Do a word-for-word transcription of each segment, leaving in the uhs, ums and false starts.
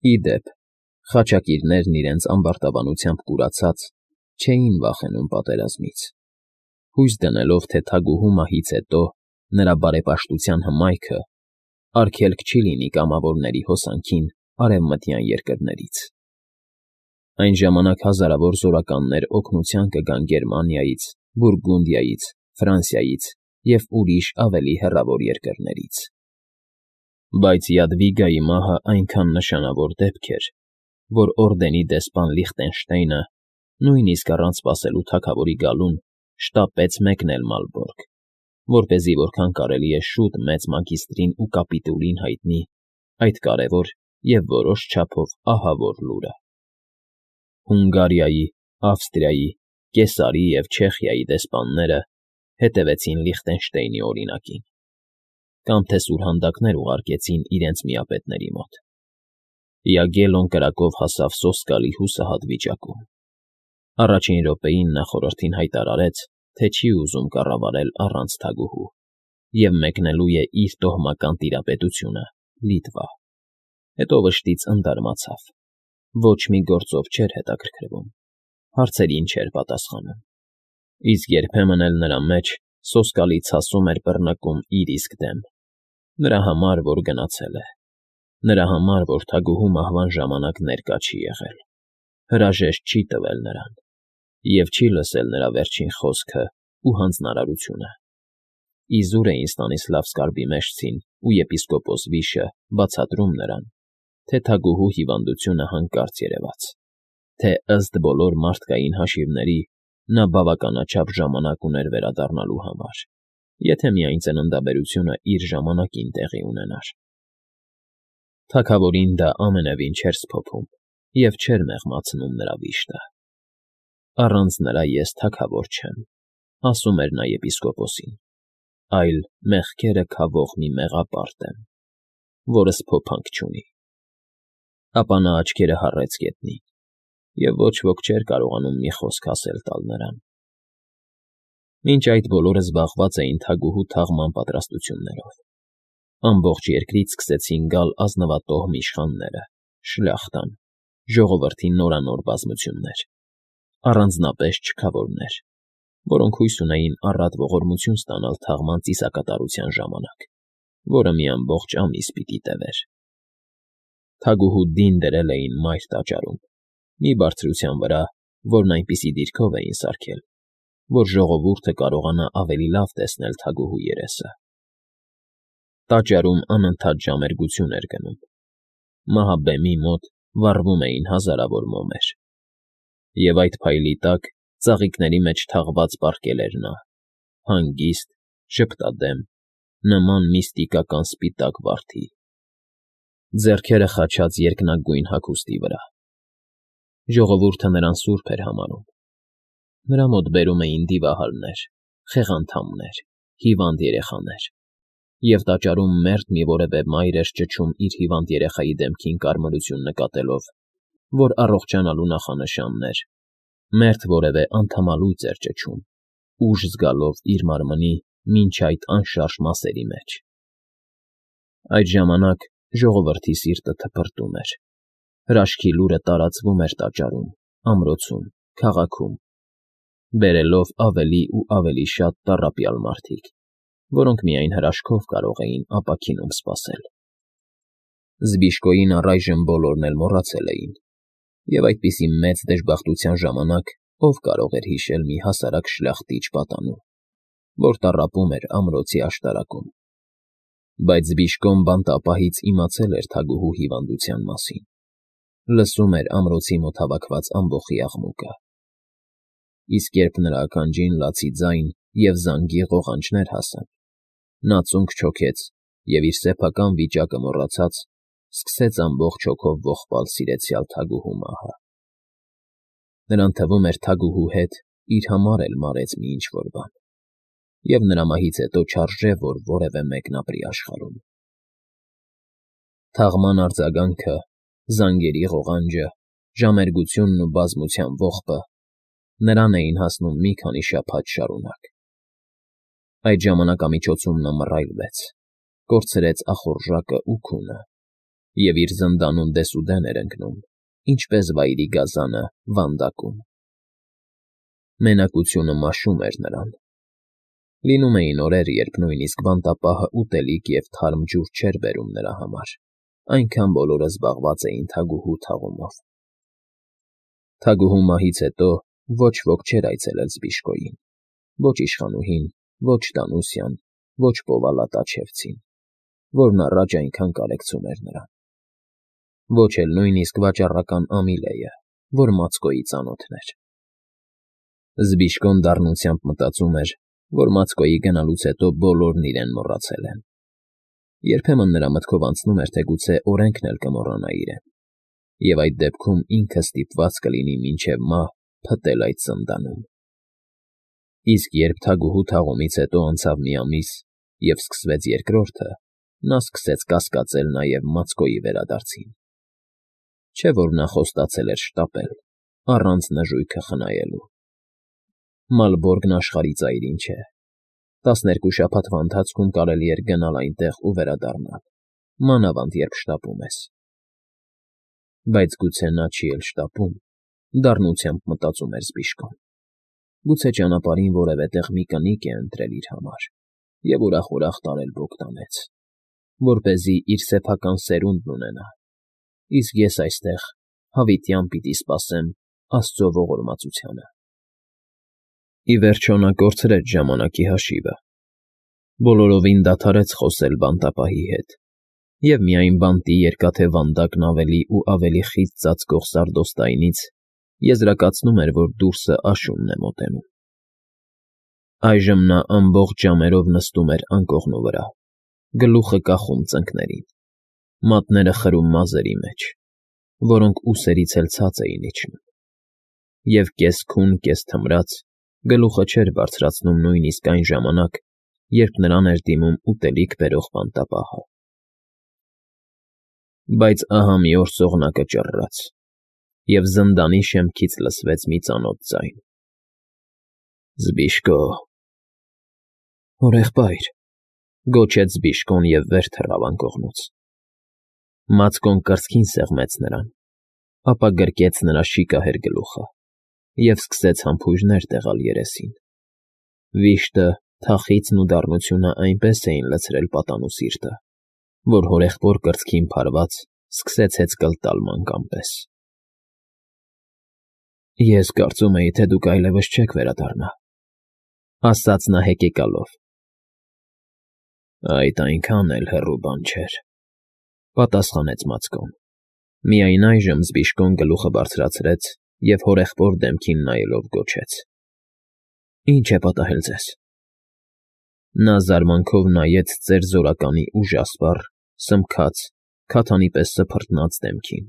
Ի դեպ, խաչակիրներն իրենց ամբարտավանությամբ կուրացած, չէին վախենում պատերազմից, հույս դնելով, թե թագուհու մահից հետո նրա բարեպաշտության հմայքը արգելք չի լինի կամավորների հոսանքին արևմտյան երկրներից. Այն ժամանակ հազարավոր զորականներ օգնության կգան Գերմանիայից, Բուրգունդիայից, Ֆրանսիայից և ուրիշ ավելի հեռավոր երկրներից։ Բայց Յադվիգայի մահը այնքան նշանավոր դեպք էր, որ օրդենի դեսպան Լիխտենշտեյնը, նույնիսկ առանց սպասելու թագավորի գալուն, շտապեց մեկնել Մալբորգ, որպեսզի որքան կարելի է շուտ մեծ մագիստրին ու կապիտուլին հայտնի այդ կարևոր և որոշ չափով ահավոր լուրը։ Հունգարիայի, Ավստրիայի, Կեսարի և Չեխիայի դեսպանները հետևեցին Լիխտենշտեյնի օրինակին, կամ թե սուրհանդակներ ուղարկեցին իրենց միապետների մոտ։ Յագելոն կրակով հասավ սոսկալի հուսահատ վիճակում։ Առաջին րոպեին նա խորհրդին հայտարարեց, թե չի ուզում կառավարել առանց թագուհու և մեկնելու է իր տոհմական տիրապետությունը՝ Լիտվա։ Հետո վշտից ընդարմացավ, ոչ մի գործով չէր հետաքրքրվում, հարցերին չէր պատասխանում, իսկ երբեմն էլ նրա մեջ սոսկալի ցասում էր բռնկում իր իսկ դեմ, նրա համար, որ գնացել է, նրա համար, որ թագուհու մահվան ժամանակ ներկա չի եղել, հրաժեշտ չի տվել նրան և չի լսել նրա վերջին խոսքն ու հանձնարարությունը։ Իզուր էին Ստանիսլավսկի մեջցին ու եպիսկոպոս Վիշը բացատրում նրան, թե թագուհու հիվանդությունը հանկարծ երևաց, թե ըստ բոլոր մարդկային հաշիվների նա բավականաչափ ժամանակ ուներ վերադառնալու համար, եթե միայն ծննդաբերությունը իր ժամանակին տեղի ունենար։ Թագավորին դա ամենևին չէր սփոփում և չէր մեղմացնում նրա վիշտը։ Առանց նրա ես թագավոր չեմ, ասում էր նա եպիսկոպոսին, այլ մեղքերը քավող մի մեղապարտ եմ, որը սփոփանք չունի։ Ապա նա աչքերը հառեց գետնին, և ոչ ոք չէր կարողանում մի խոսք ասել տալ նրան։ Մինչ այդ բոլորը զբաղված էին թագուհու թաղման պատրաստություններով։ Ամբողջ երկրից սկսեցին գալ ազնվատոհմ իշխանները, շլյախտան, ժողովրդի նորանոր բազմություններ, առանձնապես չքավորներ, որոնք հույս ունեին առատ ողորմություն ստանալ թաղման ծիսակատարության ժամանակ, որը մի ամբողջ ամիս պիտի տևեր։ Թագուհու դին դրել էին մայր տաճարում, մի բարձրության վրա, որն այնպիսի դիրքով էին սարքել, որ ժողովուրդը կարողանա ավելի լավ տեսնել թագուհու երեսը։ Տաճարում անընդհատ ժամերգություն էր գնում։ Մահաբեմի մոտ վառվում էին հազարավոր մոմեր։ Եվ այդ փայլի տակ ծաղիկների մեջ թաղված պառկել էր նա, հանգիստ, ժպտադեմ, նման միստիկական սպիտակ վարդի, ձեռքերը խաչած երկնագույն հագուստի վրա։ Ժողովուրդը նրան սուրբ էր համարում։ Նրա մոտ բերում էին դիվահարներ, խեղանդամներ, հիվանդ երեխաներ, և տաճարում մերթ մի որևէ մայր էր ճչում իր հիվանդ երեխայի դեմքին կարմրություն նկատելով, որ առողջանալու նախանշանն էր, մերթ որևէ անդամալույծ էր ճչում, ուժ զգալով իր մարմնի մինչ այդ անշարժ մասերի մեջ։ Այդ ժամանակ ժողովրդի սիրտը թպրտում էր, հրաշքի լուրը տարածվում էր տաճարում, ամրոցում, քաղաքում, բերելով ավելի ու ավելի շատ տառապյալ մարդիկ, որոնք միայն հրաշքով կարող էին ապաքինում սպասել։ Զբիշկոյին առայժմ բոլորն էլ մոռացել էին, և այդպիսի մեծ դժբախտության ժամանակ ով կարող էր հիշել մի հասարակ շլախտիչ պատանու, որ տառապում էր ամրոցի աշտարակում։ Բայց Զբիշկոն բանտապահից իմացել էր թագուհու հիվանդության մասին, լսում էր ամրոցի մոտ հավաքված ամբոխի աղմուկը։ Իսկ երբ նրա ականջին լացի ձայն և զանգի ղողանջներ հասան, նա ծունկ չոքեց և, իր սեփական վիճակը մոռացած, սկսեց ամբողջ հոգով ողբալ սիրեցյալ թագուհու մահը։ Նրան թվում էր թագուհու հետ իր համար էլ մարեց մի ինչ֊որ բան, և նրա մահից հետո չարժե, որ որևէ մեկն ապրի աշխարհում։ Թաղման արձագանքը, զանգերի ղողանջը, ժամերգությունն ու բազմության ողբը նրան էին հասնում մի քանի շաբաթ շարունակ։ Այդ ժամանակամիջոցում նա մռայլվեց, կորցրեց ախորժակն ու քունը և իր զնդանում դեսուդեն էր ընկնում, ինչպես վայրի գազանը վանդակում։ Մենակությունը մաշում էր նրան։ Լինում էին օրեր, երբ նույնիսկ բանտապահը ուտելիք և թարմ ջուր չէր բերում նրա համար, այնքան բոլորը զբաղված էին թագուհու թաղումով։ Թագուհու մահից հետո ոչ ոք չէր այցելել Զբիշկոյին, ոչ իշխանուհին, ոչ Դանուսյան, ոչ Պովալա-Տաչևցին, որն առաջ այնքան կարեկցում էր նրան, ոչ էլ նույնիսկ վաճառական Ամիլեը, որ Մացկոյի ծանոթն էր։ Զբիշկոն դառնությամբ մտածում էր, որ Մացկոյի գնալուց հետո բոլորն իրեն մոռացել են։ Երբեմն նրա մտքով անցնում էր, թե գուցե օրենքն էլ կմոռանա իրեն, և այդ դեպքում ինքը ստիպված կլինի մինչև մահ փտել այդ զնդանում։ Իսկ երբ թագուհու թաղումից հետո անցավ մի ամիս, և սկսվեց երկրորդը, նա սկսեց կասկածել նաև Մացկոյի վերադարձին։ Չէ՞ որ նա խոստացել էր շտապել, առանց նժույգը խնայելու։ Մալբորգն աշխարհի ծայրին չէ։ Տասներկու շաբաթվա ընթացքում կարելի էր գնալ այնտեղ ու վերադառնալ, մանավանդ երբ շտապում ես։ Բայց գուցե նա չի էլ շտապում, դառնությամբ մտածում էր Զբիշկոն։ Գուցե ճանապարհին որևէ տեղ մի կնիկ է ընտրել իր համար և ուրախ֊ուրախ տարել Բոգդանեց, որպեսզի իր սեփական սերունդն ունենա, իսկ ես այստեղ հավիտյան պիտի սպասեմ Աստծո ողորմածությանը։ Ի վերջո նա կորցրեց ժամանակի հաշիվը, բոլորովին դադարեց խոսել բանտապահի հետ, և միայն բանտի երկաթե վանդակն ավելի ու ավելի խիտ ծածկող սարդոստայնից եզրակացնում էր, որ դուրսը աշունն է մոտենում։ Այժմ նա ամբողջ ժամերով նստում էր անկողնու վրա, գլուխը կախում ծնկներին, մատները խրում մազերի մեջ, որոնք ուսերից էլ ցած էին իջնում, և կես֊քուն, կես֊թմրած գլուխը չէր բարձրացնում նույնիսկ այն ժամանակ, երբ նրան էր դիմում ուտելիք բերող բանտապահը։ Բայց ահա մի օր ծողնակը ճռռաց, և զնդանի շեմքից լսվեց մի ծանոթ ձայն. «Զբիշկո»։ «Հորեղբայր», գոչեց Զբիշկոն և վեր թռավ անկողնուց։ Մացկոն կրծքին սեղմեց նրան, ապա գրկեց նրա շիկահեր գլուխը և սկսեց համբույրներ տեղալ երեսին։ Վիշտը, թախիծն ու դառնությունը այնպես էին լցրել պատանու սիրտը, որ հորեղբոր կրծքին փարված սկսեց հեծկլ տալ մանկան պես։ «Ես կարծում էի, թե դուք այլևս չեք վերադառնա», ֊ ասաց նա հեկեկալով։ «Այդ այնքան էլ հեռու բան չէր», ֊ պատասխանեց Մացկոն։ Միայն այժմ Զբիշկոն գլուխը բարձրացրեց և հորեղբոր դեմքին նայելով գոչեց. «Ի՞նչ է պատահել ձեզ»։ Նա զարմանքով նայեց ծեր զորականի ուժասպառ, սմքած, քաթանի պես սփռտնած դեմքին,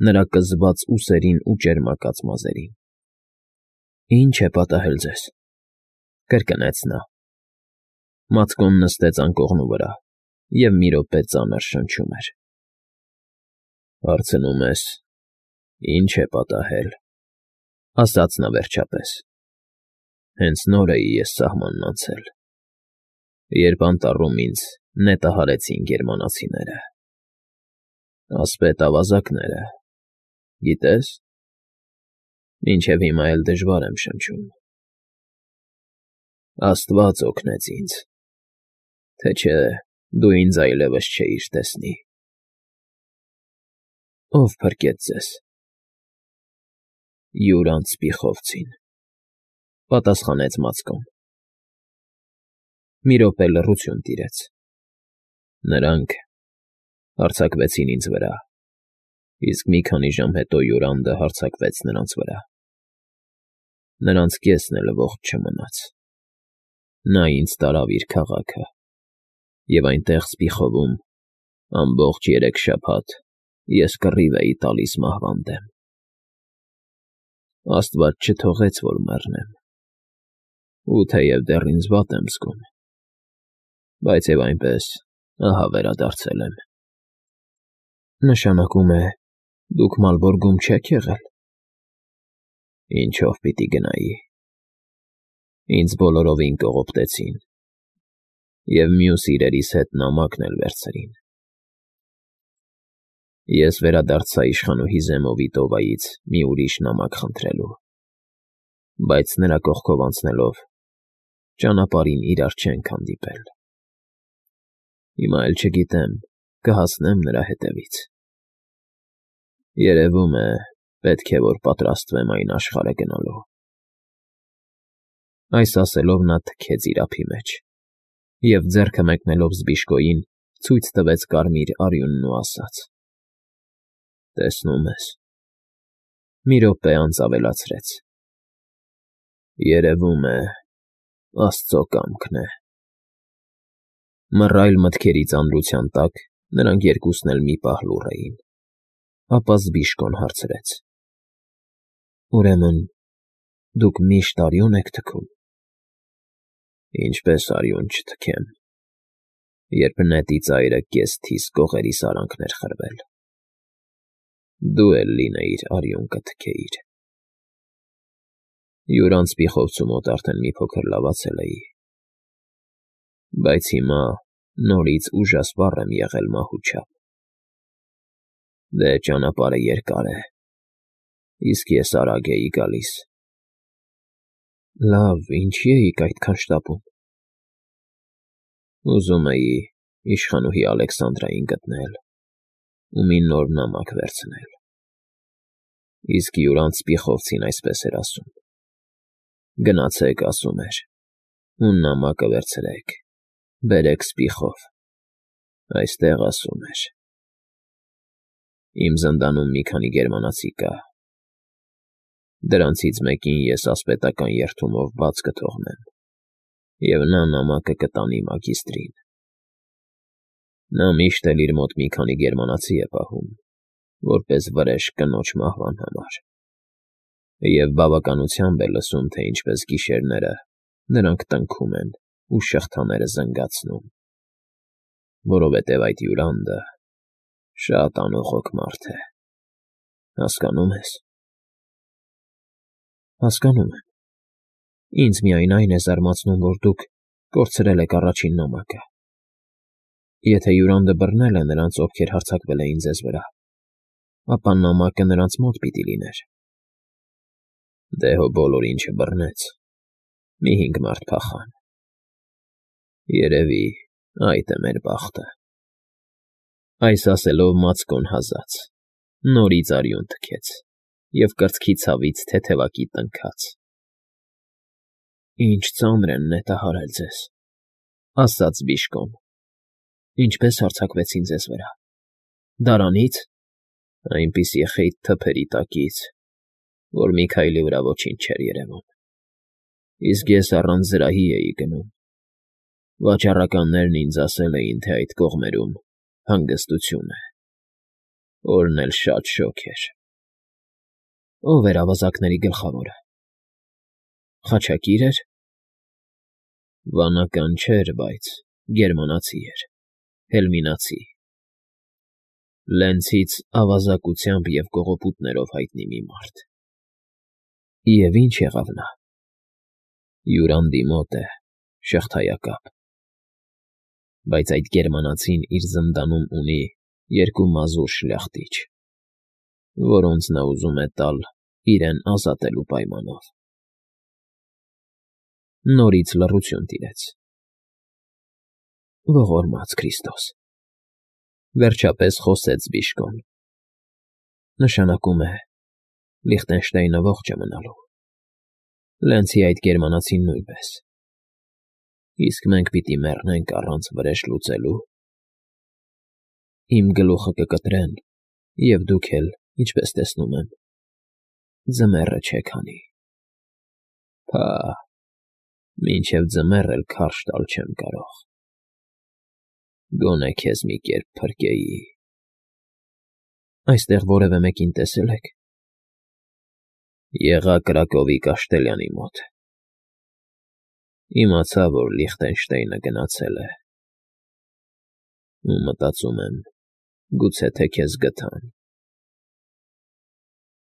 նրա կզված ուսերին ու ճերմակած մազերին։ «Ի՞նչ է պատահել ձեզ», ֊ կրկնեց նա։ Մացկոն նստեց անկողնու վրա և մի րոպե ծանր շնչում էր։ «Հարցնում ես. ի՞նչ է պատահել», ֊ ասաց նա վերջապես։ «Հենց նոր էի ես սահմանն անցել, երբ անտառում ինձ նետահարեցին գերմանացիները։ Ասպետ ավազակները, գիտե՞ս։ Մինչև հիմա էլ դժվար եմ շնչում։ Աստված օգնեց ինձ, թե չէ դու ինձ այլևս չէիր տեսնի»։ «Ո՞վ փրկեց ձեզ»։ «Յուրանց սպիխովցին», ֊ պատասխանեց Մացկոն։ Մի րոպե լռություն տիրեց։ Նրանք հարձակվեցին ինձ վրա, իսկ մի քանի ժամ հետո Յուրանդը հարձակվեց նրանց վրա։ Նրանց կեսն էլ ողջ չմնաց։ Նա ինձ տարավ իր քաղաքը, և այնտեղ Սպիխովում ամբողջ երեք շաբաթ ես կռիվ էի տալիս մահվան դեմ։ Աստված չթողեց, որ մեռնեմ, ու թեև դեռ ինձ վատ եմ զգում, բայց և այնպես ահա վերադարձել եմ»։ «Նշանակում է, դուք Մալբորգում չեք եղել»։ «Ինչով պիտի գնայի։ Ինձ բոլորովին կողոպտեցին և մյուս իրերիս հետ նամակն էլ վերցրին»։ Ես վերադարձա իշխանուհի Զեմովի տովայից մի ուրիշ նամակ խնդրելու, բայց նրա կողքով անցնելով ճանապարհին իրար չենք հանդիպել։ Հիմա էլ չգիտեմ, կհասնեմ նրա հետևից։ Երևում է, պետք է որ պատրաստվեմ այն աշխարհը գնալու։ Այս ասելով նա թքեց իր ափի մեջ և ձեռքը մեկնելով Զբիշկոյին ցույց տվեց կարմիր արյունն ու ասաց. «Տեսնում ես»։ Մի րոպե անց ավելացրեց. «Երևում է, աստծո կամքն է»։ Մռայլ մտքերի ծանրության տակ նրանք երկուսն էլ մի պահ լուռ էին, ապա Զբիշկոն հարցրեց. «Ուրեմն դուք միշտ արյուն եք թքում»։ «Ինչպես արյուն չթքեմ, երբ նետի ծայրը կես֊թիս կողերիս արանքն էր խրվել։ Դու էլ լինեիր արյուն կթքեիր»։ Յուր անցպիխովցու մոտ արդեն մի փոքր լավացել էի, բայց հիմա նորից ուժասպառ եմ եղել մահու չափ։ Դե ճանապարհը երկար է, իսկ ես արագ էի գալիս։ Լավ, ինչի էիք այդքան շտապում։ Ուզում էի իշխանուհի Ալեքսանդրային գտնել ու մի նոր նամակ վերցնել։ Իսկ յուր անցպիխովցին այսպես էր ասում. «Գնացեք, ասում էր, ու նամակը վերցրեք, բերեք Սպիխով, այստեղ ասում էր։ Իմ զնդանում մի քանի գերմանացի կա։ Դրանցից մեկին ես ասպետական երդումով բաց կթողնեմ, և նա նամակը կտանի մագիստրին։ Նա միշտ էլ իր մոտ մի քանի գերմանացի է պահում, որպես վրեժ կնոջ մահվան համար, և բավականությամբ է լսում, թե ինչպես գիշերները նրանք տնքում են ու շղթաները զնգացնում, որովհետև այդ հյուրանդը շատ անողոք մարդ է, հասկանո՞ւմ ես»։ Հասկանում եմ։ Ինձ միայն այն է զարմացնում, որ դուք կորցրել եք առաջին նամակը։ Եթե հյուրանդը բռնել է նրանց, ովքեր հարձակվել էին ձեզ վրա, ապա նամակը նրանց մոտ պիտի լիներ։ Դե հո բոլոր ինչը բռնեց, մի հինգ մարդ փախան։ Երևի այդ է մեր բախտը։ Այս ասելով մածկոն հազաց, նորից արյուն թքեց և կրծքի ցավից թեթևակի տնքաց։ «Ինչ ծանր են նետահարել ձեզ», ասաց Զբիշկոն։ «Ինչպես հարձակվեցին ձեզ վրա։ Դարանի՞ց»։ Այնպիսի խիտ թփերի տակից, որ մի քայլի վրա ոչինչ չէր երևում։ Իսկ ես առանց զրահի էի գնում։ Վաճառականներն ինձ ասել էին, թե այդ կողմերում հանգստություն է։ Օրն էլ շատ շոգ էր։ Ո՞վ էր ավազակների գլխավորը։ Խաչակի՞ր էր։ Վանական չէր, բայց գերմանացի էր, հելմինացի, Լենցից ավազակությամբ և կողոպուտներով հայտնի մի մարդ։ Եվ ի՞նչ եղավ նա։ Հյուրանդի մոտ է, շղթայակապ։ Բայց այդ գերմանացին իր զնդանում ունի երկու մազուր շլախտիչ, որոնց նա ուզում է տալ իրեն ազատելու պայմանով։ Նորից լռություն տիրեց։ Ողորմած Քրիստոս, վերջապես խոսեց Զբիշկոն։ Նշանակում է Լիխտենշտեյնը ողջ է մնալու, Լենցի այդ գերմանացին նույնպես։ Իսկ մենք պիտի մեռնենք առանց վրեժ լուծելու։ Իմ գլուխը կկտրեն, և դուք էլ, ինչպես տեսնում եմ, ձմեռը չեք հանի։ Փահ, մինչև ձմեռ էլ քարշ տալ չեմ կարող։ Գոնե քեզ մի կերպ փրկեի։ Այստեղ որևէ մեկին տեսե՞լ եք։ Եղա Կրակովի Կաշտելյանի մոտ։ Իմացա, որ Լիխտենշտեյնը գնացել է։ Ու մտածում եմ, գուցե թե քեզ գթան։